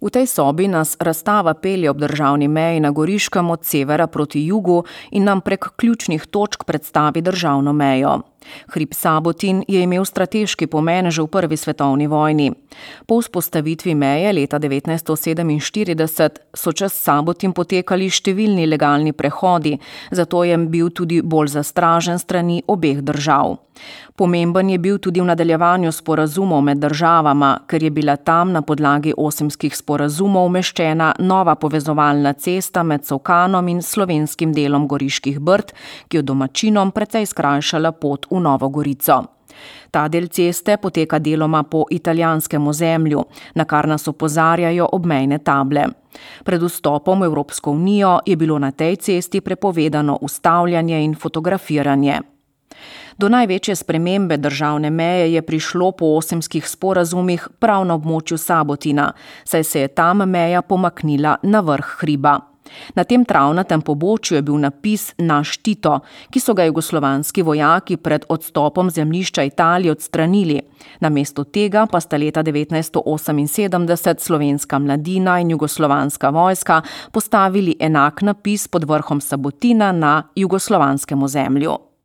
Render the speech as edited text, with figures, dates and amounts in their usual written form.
V tej sobi nas razstava pelje ob državni meji na Goriškem od severa proti jugu in nam prek ključnih točk predstavi državno mejo. Hrib Sabotin je imel strateški pomen že v Prvi svetovni vojni. Po vzpostavitvi meje leta 1947 so čez Sabotin potekali številni legalni prehodi, zato je bil tudi bolj zastražen strani obeh držav. Pomemben je bil tudi v nadaljevanju sporazumov med državama, ker je bila tam na podlagi Osimskih sporazumov umeščena nova povezovalna cesta med Solkanom in slovenskim delom Goriških Brd, ki je domačinom precej skrajšala pot v Novo Gorico. Ta del ceste poteka deloma po italijanskem ozemlju, na kar nas opozarjajo obmejne table. Pred vstopom v Evropsko unijo je bilo na tej cesti prepovedano ustavljanje in fotografiranje. Do največje spremembe državne meje je prišlo po Osimskih sporazumih prav na območju Sabotina, saj se je tam meja pomaknila na vrh hriba. Na tem travnatem pobočju je bil napis Naš Tito, ki so ga jugoslovanski vojaki pred odstopom zemljišča Italije odstranili. Namesto tega pa sta leta 1978 slovenska mladina in jugoslovanska vojska postavili enak napis pod vrhom Sabotina na jugoslovanskem ozemlju.